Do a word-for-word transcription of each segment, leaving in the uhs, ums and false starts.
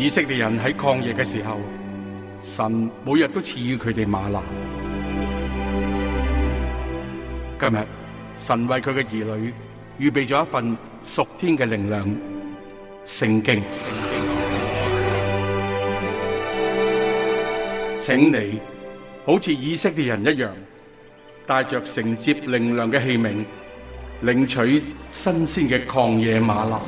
以色列人喺曠野嘅時候，神每日都賜予佢哋嗎哪。今日神為佢嘅兒女預備咗一份屬天嘅靈糧——聖經。請你好似以色列人一樣，帶着承接靈糧嘅器皿，領取新鮮嘅曠野嗎哪。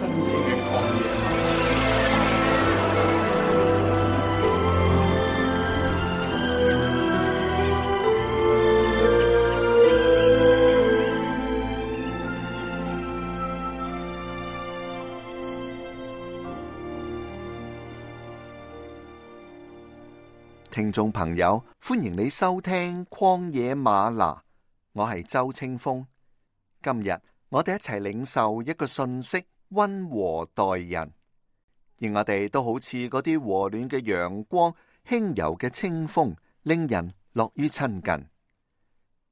聽眾朋友，歡迎你收聽曠野嗎哪，我係周清風。今日我哋一齊領受一個信息：溫和待人。而我哋都好似嗰啲和暖嘅陽光、輕柔嘅清風，令人樂於親近。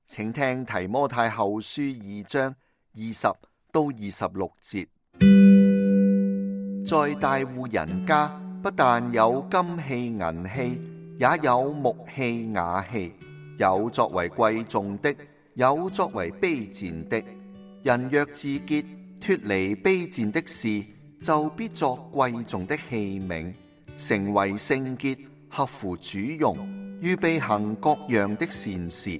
請聽提摩太後書二章二十到二十六節。在大戶人家，不但有金器銀器，也有木器瓦器，有作為貴重的，有作為卑賤的。人若自潔，脫離卑賤的事，就必作貴重的器皿，成為聖潔，合乎主用，預備行各樣的善事。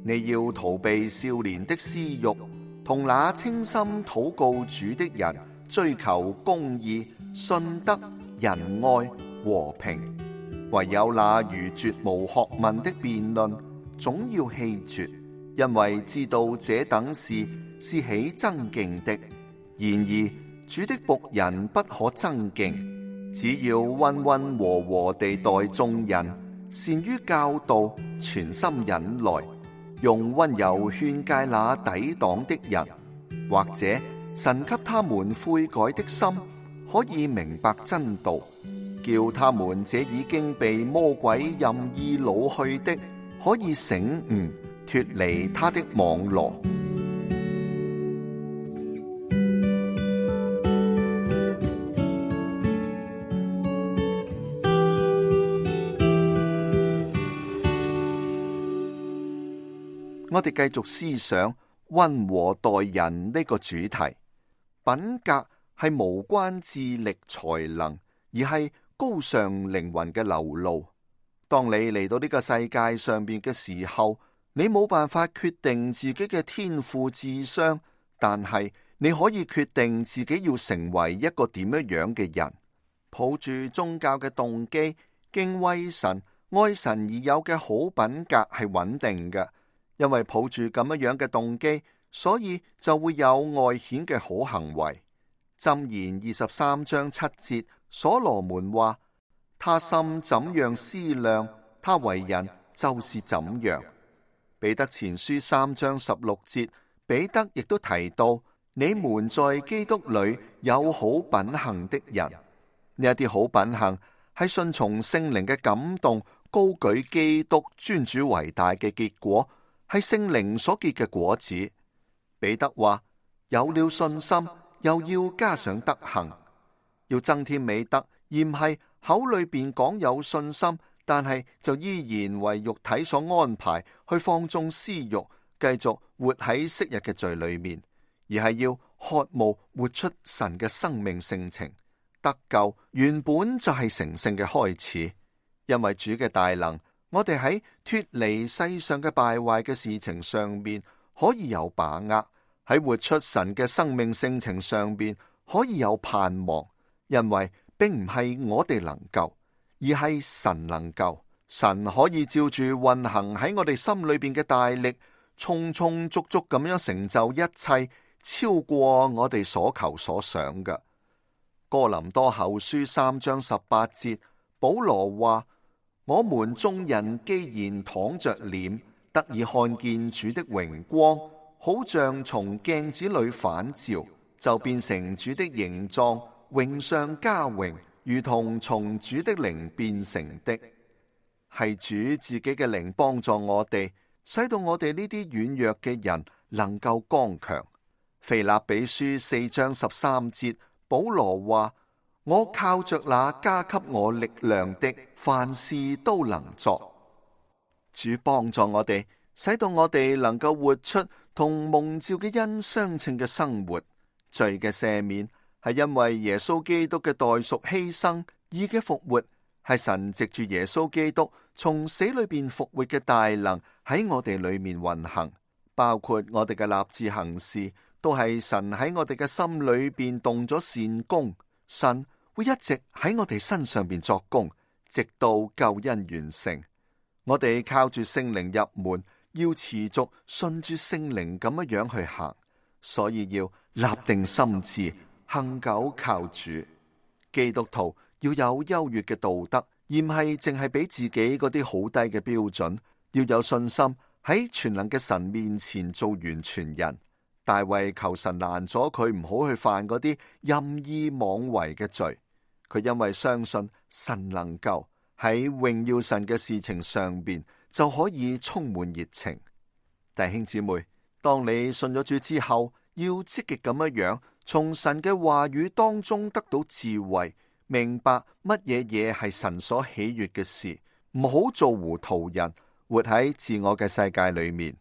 你要逃避少年的私慾，同那清心禱告主的人，追求公義、信德、仁愛、和平。唯有那愚拙無學問的辯論，總要棄絕，因為知道這等事是起爭競的。然而主的僕人不可爭競，只要溫溫和和地待眾人，善於教導，全心忍耐，用溫柔勸誡那抵擋的人，或者神給他們悔改的心，可以明白真道，叫他們這已經被魔鬼任意擄去的，可以醒悟，脫離他的網羅。我哋繼續思想溫和待人呢個主題。品格係無關智力才能，而係高尚靈魂嘅流露。當你嚟到呢個世界上邊嘅時候，你冇辦法決定自己嘅天賦智商，但係你可以決定自己要成為一個點樣樣嘅人。抱住宗教嘅動機，敬畏神、愛神而有嘅好品格係穩定嘅，因為抱住咁樣樣嘅動機，所以就會有外顯嘅好行為。箴言二十三章七節，所羅門話：他心怎樣思量，他為人就是怎樣。彼得前書三章十六節，彼得亦都提到：你們在基督裏有好品行的人。呢一啲好品行係順從聖靈嘅感動，高舉基督尊主為大嘅結果，係聖靈所結嘅果子。彼得話：有了信心，又要加上德行，要增添美德，而唔係口裏邊講有信心，但係就依然為肉體所安排去放縱私欲，繼續活喺昔日嘅罪裏面，而係要渴慕活出神嘅生命性情。得救原本就係成聖嘅開始，因為主嘅大能，我哋喺脫離世上嘅敗壞嘅事情上面可以有把握。喺活出神嘅生命性情上邊可以有盼望，因為並唔係我哋能夠，而係神能夠。神可以照住運行喺我哋心裏邊嘅大力，充充足足咁樣成就一切，超過我哋所求所想嘅。哥林多後書三章十八節，保羅話：我們眾人既然敞着臉，得以看見主的榮光，好像從鏡子裏反照，就變成主的形狀，榮上加榮，如同從主的靈變成的。係主自己嘅靈幫助我哋，使到我哋呢啲軟弱嘅人能夠剛強。腓立比書四章十三節，保羅話：我靠着那加給我力量的，凡事都能作。主幫助我哋，使到我哋能夠活出同蒙召嘅恩相稱嘅生活。罪嘅赦免係因為耶穌基督嘅代贖犧牲，義嘅復活係神藉住耶穌基督從死裏邊復活嘅大能喺我哋裏面運行，包括我哋嘅立志行事，都係神喺我哋嘅心裏邊動咗善功。神會一直喺我哋身上邊作工，直到救恩完成。我哋靠住聖靈入門，要持續順住聖靈咁樣樣去行，所以要立定心志，恆久靠主。基督徒要有優越嘅道德，而唔係淨係俾自己嗰啲好低嘅標準。要有信心喺全能嘅神面前做完全人。大衛求神攔咗佢唔好去犯嗰啲任意妄為嘅罪，佢因為相信神能夠喺榮耀神嘅事情上邊就可以充滿熱情。弟兄姊妹，當你信咗主之後，要積極咁樣樣從神嘅話語當中得到智慧，明白乜嘢嘢係神所喜悅嘅事，唔好做糊塗人，活喺自我嘅世界裏面。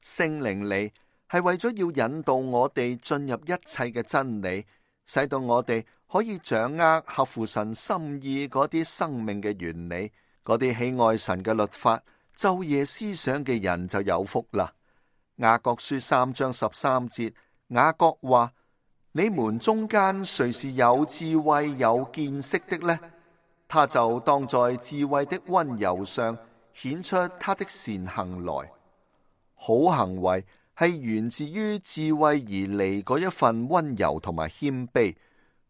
聖靈嚟係為咗要引導我哋進入一切嘅真理，使到我哋可以掌握合乎神心意嗰啲生命嘅原理，嗰啲喜愛神嘅律法、晝夜思想嘅人就有福啦。雅各書三章十三節，雅各話：你們中間誰是有智慧有見識的呢？他就當在智慧的溫柔上顯出他的善行來。好行為係源自於智慧而嚟嗰一份溫柔同埋謙卑，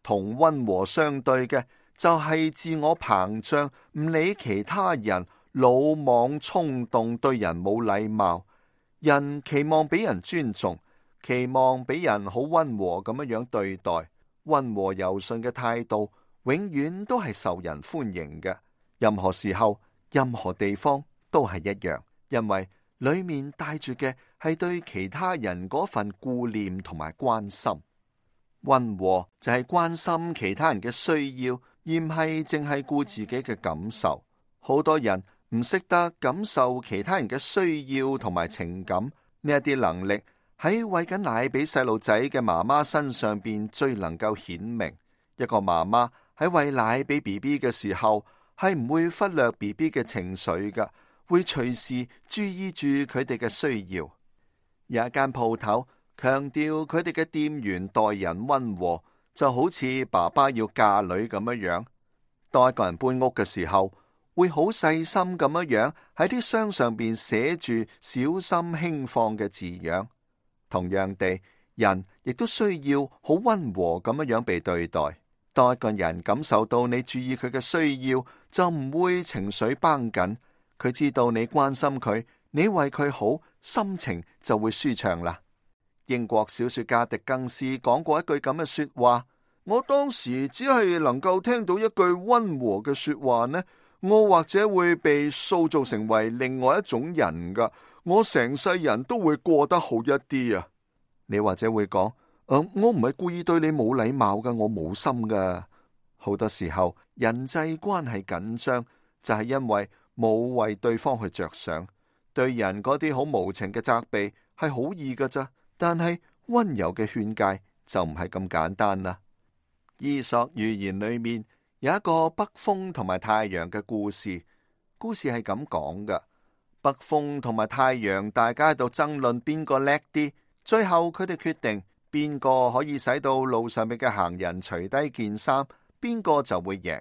同溫和相對嘅就係自我膨脹，唔理其他人，魯莽衝動，對人冇禮貌。人期望俾人尊重，期望俾人好溫和咁樣樣對待，溫和柔順嘅態度永遠都係受人歡迎嘅。任何時候、任何地方都係一樣，因為裏面帶住嘅係對其他人嗰份顧念同埋關心。溫和就係關心其他人嘅需要，而唔係淨係顧自己嘅感受。好多人唔識得感受其他人嘅需要同埋情感，呢一啲能力喺餵緊奶俾細路仔嘅媽媽身上邊最能夠顯明。一個媽媽喺餵奶俾 B B 嘅時候，係唔會忽略 B B 嘅情緒㗎，會隨時注意住佢哋嘅需要。有一間鋪頭強調佢哋嘅店員待人溫和，就好似爸爸要嫁女咁樣樣。當一個人搬屋嘅時候，會好細心咁樣樣喺啲箱上邊寫住小心輕放嘅字樣。同樣地，人亦都需要好溫和咁樣樣被對待。當一個人感受到你注意佢嘅需要，就唔會情緒繃緊。佢知道你關心佢，你為佢好，心情就會舒暢啦。英國小說家狄更斯講過一句咁嘅說話：我當時只係能夠聽到一句溫和嘅說話呢，我或者會被塑造成為另外一種人噶，我成世人都會過得好一啲啊。你或者會講：嗯，我唔係故意對你冇禮貌噶，我冇心噶。好多時候人際關係緊張，就係因為冇為對方去着想。對人嗰啲好無情嘅責備係好易噶咋，但係溫柔嘅勸誡就唔係咁簡單啦。伊索寓言裏面有一個北風同埋太陽嘅故事，故事係咁講嘅：北風同埋太陽大家喺度爭論邊個叻啲，最後佢哋決定邊個可以使到路上面嘅行人除低件衫，邊個就會贏。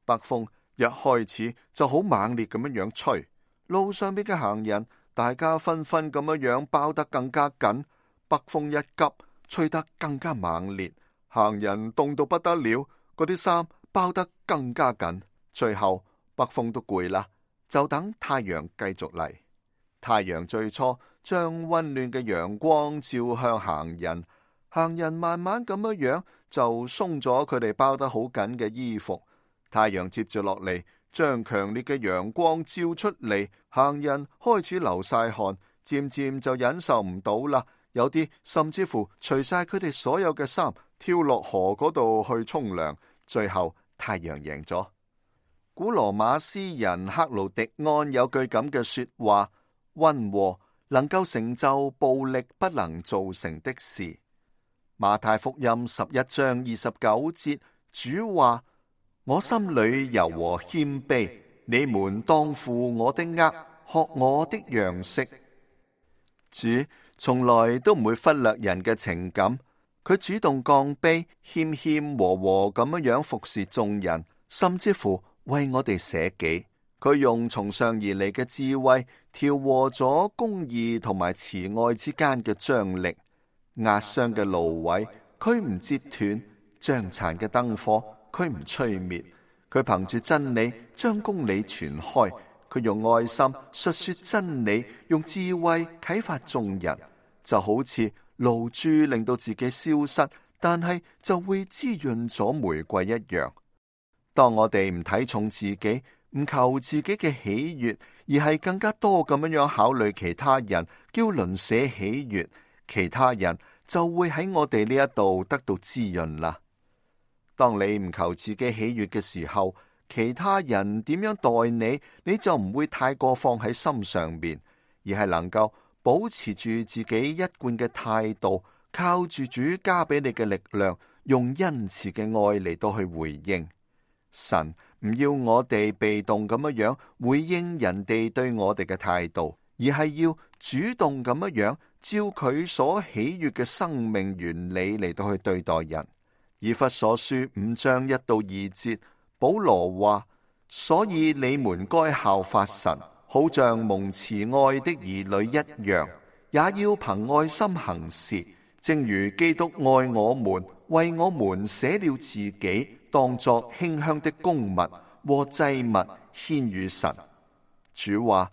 北風一開始就好猛烈咁樣樣吹，路上邊嘅行人大家紛紛咁樣樣包得更加緊，北風一急，吹得更加猛烈，行人凍到不得了，嗰啲衫包得更加緊，最後北風都攰啦，就等太陽繼續嚟。太陽最初將溫暖嘅陽光照向行人，行人慢慢咁樣樣就鬆咗佢哋包得好緊嘅衣服。太陽接住落嚟，將強烈嘅陽光照出嚟，行人開始流晒汗，漸漸就忍受唔到啦。有啲甚至乎除晒佢哋所有嘅衫，跳落河嗰度去沖涼，最後太陽贏咗。古羅馬詩人克勞狄安有句咁嘅說話：溫和能夠成就暴力不能造成的事。馬太福音十一章二十九節，主話：我心裏柔和謙卑，你們當負我的軛，學我的樣式。主從來都唔會忽略人嘅情感，佢主動降卑，謙謙和和咁樣服侍眾人，甚至乎為我哋捨己。佢用從上而嚟嘅智慧，調和咗公義同埋慈愛之間嘅張力。壓傷嘅蘆葦，佢唔折斷；將殘嘅燈火，佢唔吹滅。佢憑住真理將公理傳開，佢用愛心述說真理，用智慧啟發眾人。就好似露珠令到自己消失，但係就會滋潤咗玫瑰一樣。當我哋唔睇重自己，唔求自己嘅喜悅，而係更加多咁樣樣考慮其他人，叫鄰舍喜悅，其他人就會喺我哋呢一度得到滋潤啦。當你唔求自己喜悅嘅時候，其他人點樣待你，你就唔會太過放喺心上面，而係能夠保持住自己一貫嘅態度，靠住主加俾你嘅力量，用恩慈嘅愛嚟到去回應。神唔要我哋被動咁樣樣回應人哋對我哋嘅態度，而係要主動咁樣樣照佢所喜悅嘅生命原理嚟到去對待人。以弗所書五章一到二節，保羅話：所以你們該效法神，好像蒙慈愛的兒女一樣，也要憑愛心行事，正如基督愛我們，為我們捨了自己，當作馨香的供物和祭物獻與神。主話：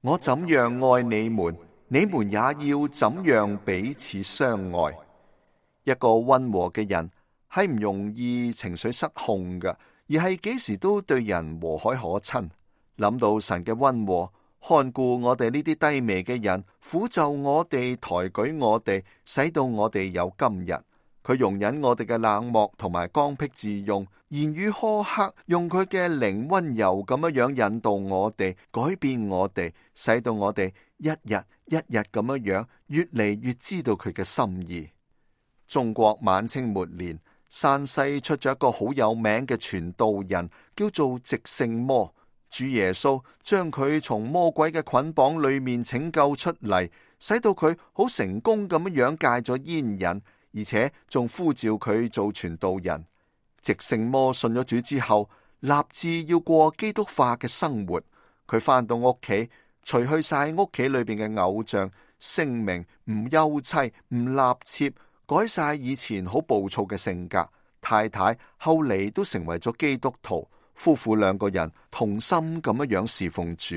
我怎樣愛你們，你們也要怎樣彼此相愛。一個溫和嘅人係唔容易情緒失控嘅，而係幾時都對人和藹可親。諗到神嘅溫和，看顧我哋呢啲低微嘅人，撫就我哋，抬舉我哋，使到我哋有今日。佢容忍我哋嘅冷漠同埋剛愎自用，言語苛刻，用佢嘅靈溫柔咁樣樣引導我哋，改變我哋，使到我哋一日一日咁樣樣越嚟越知道佢嘅心意。中國晚清末年，山西出咗一個好有名嘅傳道人，叫做寂聖魔。主耶穌將佢從魔鬼嘅捆綁裏面拯救出嚟，使到佢好成功咁樣樣戒咗煙癮，而且仲呼召佢做傳道人。寂聖魔信咗主之後，立志要過基督化嘅生活。佢返到屋企，除去晒屋企裏邊嘅偶像，聲明唔休妻，唔納妾，改晒以前好暴躁嘅性格。太太後嚟都成為咗基督徒，夫婦兩個人同心咁樣樣侍奉主。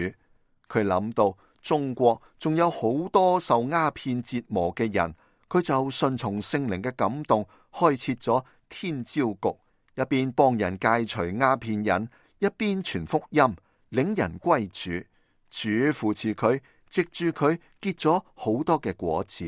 佢諗到中國仲有好多受鴉片折磨嘅人，佢就順從聖靈嘅感動，開設咗天朝局，一邊幫人戒除鴉片癮，一邊傳福音，領人歸主。主扶持佢，藉住佢結咗好多嘅果子。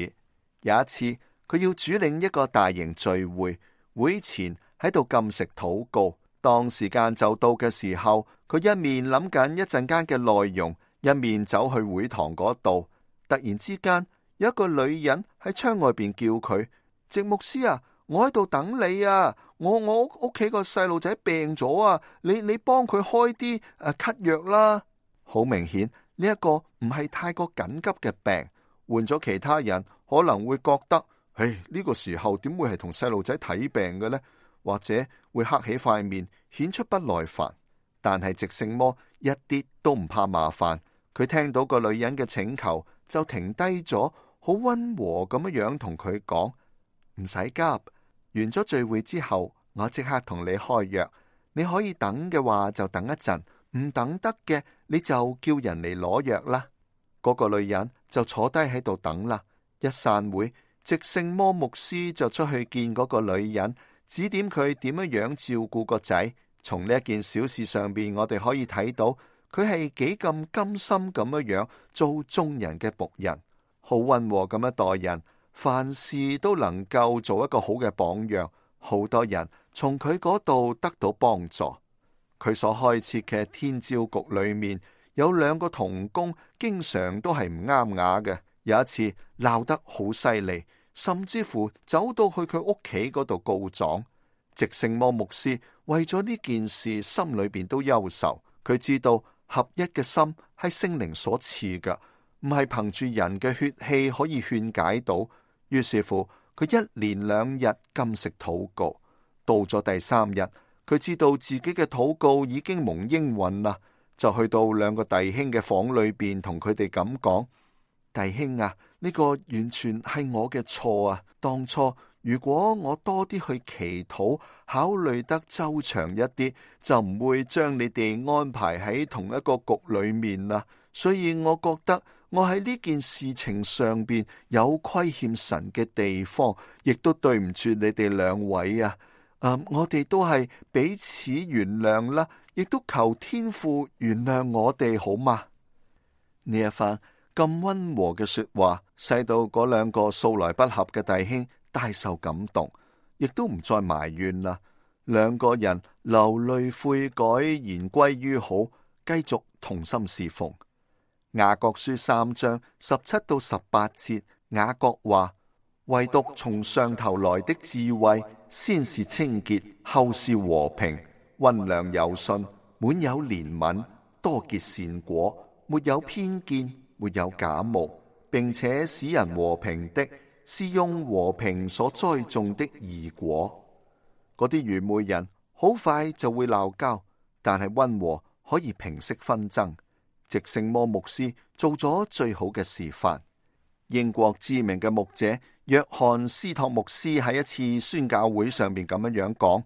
有一次，佢要主領一個大型聚會，會前喺度禁食禱告。當時間就到嘅時候，佢一面諗緊一陣間嘅內容，一面走去會堂嗰度。突然之間，有一個女人喺窗外邊叫佢：寂牧師啊，我喺度等你啊！我我屋企個細路仔病咗啊！你你幫佢開啲誒咳藥啦。好明顯呢一個唔係太過緊急嘅病，換咗其他人可能會覺得：唉，呢個時候點會係同細路仔睇病嘅呢？或者會黑起塊面，顯出不耐煩。但係寂聖魔一啲都唔怕麻煩，佢聽到個女人嘅請求，就停低咗，好溫和咁樣樣同佢講：唔使急，完咗聚會之後，我即刻同你開藥。你可以等嘅話就等一陣，唔等得嘅你就叫人嚟攞藥啦。嗰個女人就坐低喺度等啦。一散會，寂聖魔牧師就出去見嗰個女人，指點佢點樣樣照顧個仔。從呢一件小事上邊，我哋可以睇到佢係幾咁甘心咁樣樣做眾人嘅僕人，好溫和咁樣待人，凡事都能夠做一個好嘅榜樣，好多人從佢嗰度得到幫助。佢所開設嘅天照局裏面有兩個同工，經常都係唔啱牙嘅。有一次鬧得好犀利，甚至乎走到去佢屋企嗰度告狀。直聖魔牧師為咗呢件事，心裏邊都憂愁。佢知道合一嘅心係聖靈所賜嘅，唔係憑住人嘅血氣可以勸解到。於是乎，佢一連兩日禁食禱告。到咗第三日，佢知道自己嘅禱告已經蒙應允啦，就去到兩個弟兄嘅房裏邊，同佢哋咁講：弟兄啊，呢個完全係我嘅錯啊！當初如果我多啲去祈禱，考慮得周詳一啲，就唔會將你哋安排喺同一個局裏面啦。所以我覺得我喺呢件事情上邊有虧欠神嘅地方，亦都對唔住你哋兩位啊！嗯，我哋都係彼此原諒啦，亦都求天父原諒我哋，好嗎？呢一番咁溫和嘅說話，使到嗰兩個素來不合嘅弟兄大受感動，亦都唔再埋怨啦。兩個人流淚悔改，言歸於好，繼續同心侍奉。雅各書三章十七到十八節，雅各話：唯獨從上頭來的智慧，先是清潔，後是和平，溫良柔順，滿有憐憫，多結善果，沒有偏見，沒有假冒，並且使人和平的，是用和平所栽種的義果。嗰啲愚昧人好快就會鬧交，但係溫和可以平息紛爭。直聖魔牧師做咗最好嘅示範。英國知名嘅牧者約翰斯托牧師喺一次宣教會上邊咁樣樣講：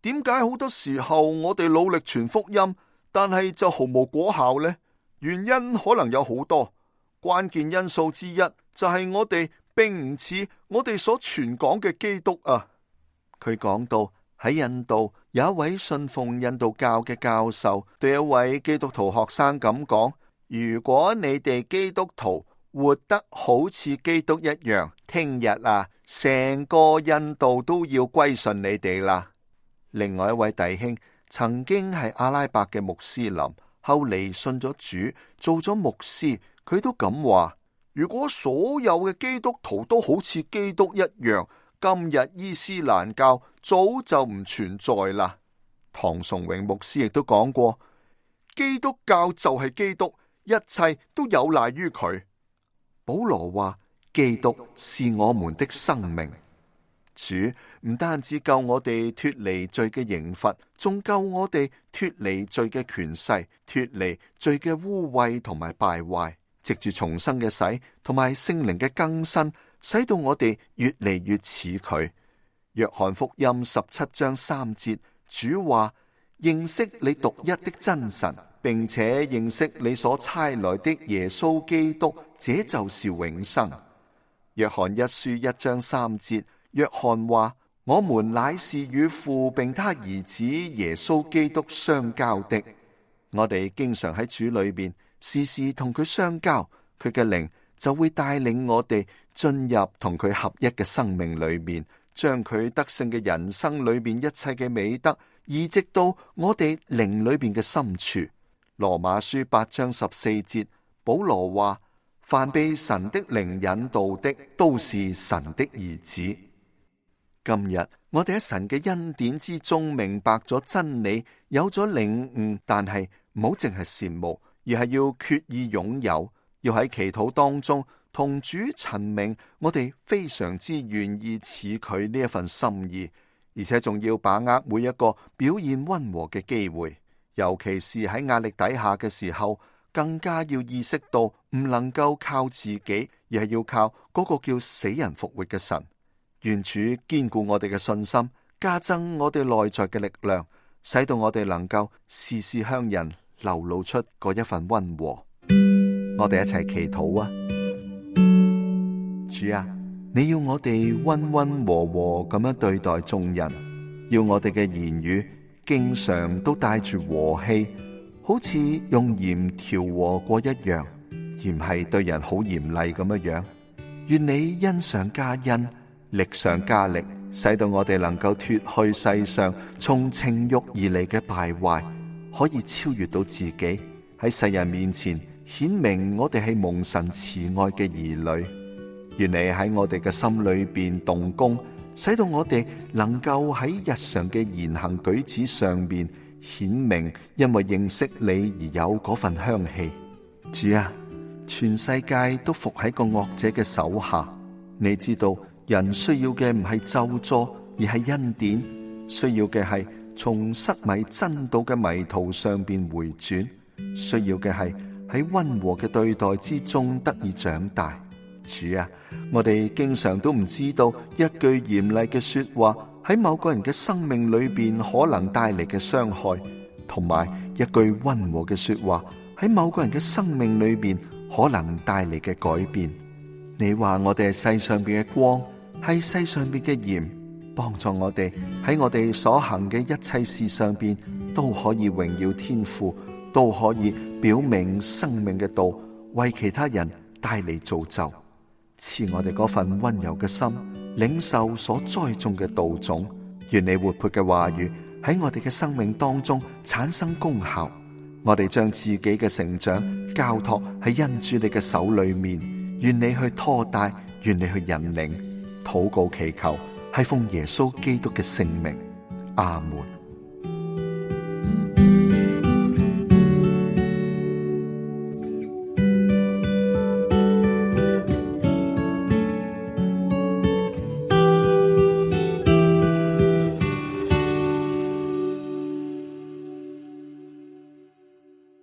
點解好多時候我哋努力傳福音，但係就毫無果效呢？原因可能有好多，關鍵因素之一就係我哋並唔似我哋所傳講嘅基督啊。佢講到喺印度有一位信奉印度教嘅教授對一位基督徒學生咁講：如果你哋基督徒活得好似基督一樣，聽日啊，成個印度都要歸順你哋啦。另外一位弟兄曾經係阿拉伯嘅穆斯林，後嚟信咗主，做咗牧師。佢都咁話：如果所有嘅基督徒都好似基督一樣，今日伊斯蘭教早就唔存在啦。唐崇榮牧師亦都講過：基督教就係基督，一切都有賴於佢。保羅話：基督是我們的生命。主唔單止救我哋脫離罪嘅刑罰，仲救我哋脫離罪嘅權勢，脫離罪嘅污穢同埋敗壞。藉住重生嘅洗同埋聖靈嘅更新，使到我哋越嚟越似佢。約翰福音十七章三節，主話：認識你獨一的真神，並且認識你所差來的耶穌基督，這就是永生。約翰一書一章三節，約翰話：我們乃是與父並他兒子耶穌基督相交的。我哋經常喺主裏邊時時同佢相交，佢嘅靈就會帶領我哋進入同佢合一嘅生命裏面，將佢得勝嘅人生裏面一切嘅美德移植到我哋靈裏邊嘅深處。羅馬書八章十四節，保羅話：凡被神的靈引導的，都是神的兒子。今日我哋喺神嘅恩典之中明白咗真理，有咗領悟，但係唔好淨係羨慕，而係要決意擁有，要喺祈禱當中同主陳明我哋非常之願意似佢呢一份心意，而且仲要把握每一個表現溫和嘅機會，尤其是喺壓力底下嘅時候，更加要意識到唔能夠靠自己，而係要靠嗰個叫死人復活嘅神。願主堅固我哋嘅信心，加增我哋內在嘅力量，使到我哋能夠時時向人流露出嗰一份溫和。我哋一齊祈禱啊！主啊，你要我哋溫溫和和咁樣對待眾人，要我哋嘅言語經常都帶住和氣，好似用鹽調和過一樣，而唔係對人好嚴厲咁樣樣。願你恩上加恩，力上加力，使到我哋能夠脫去世上從情慾而嚟嘅敗壞，可以超越到自己，喺世人面前顯明我哋係蒙神慈愛嘅兒女。願你喺我哋嘅心裏邊動工，使到我哋能夠喺日常嘅言行舉止上面顯明，因為認識你而有嗰份香氣。主啊，全世界都伏喺個惡者嘅手下，你知道人需要嘅唔係咒詛，而係恩典，需要嘅係從失迷真道嘅迷途上邊回轉，需要嘅係喺溫和嘅對待之中得以長大。主啊，我哋經常都唔知道一句嚴厲嘅說話喺某個人嘅生命裏邊可能帶嚟嘅傷害，同埋一句溫和嘅說話喺某個人嘅生命裏邊可能帶嚟嘅改變。你話我哋係世上邊嘅光，係世上邊嘅鹽，幫助我哋喺我哋所行嘅一切事上邊都可以榮耀天父，都可以表明生命嘅道，為其他人帶嚟造就。賜我哋嗰份溫柔嘅心，領受所栽種嘅道種。願你活潑嘅話語喺我哋嘅生命當中產生功效。我哋將自己嘅成長交託喺恩主你嘅手裏面，願你去拖帶，願你去引領。禱告祈求係奉耶穌基督嘅聖名，阿門。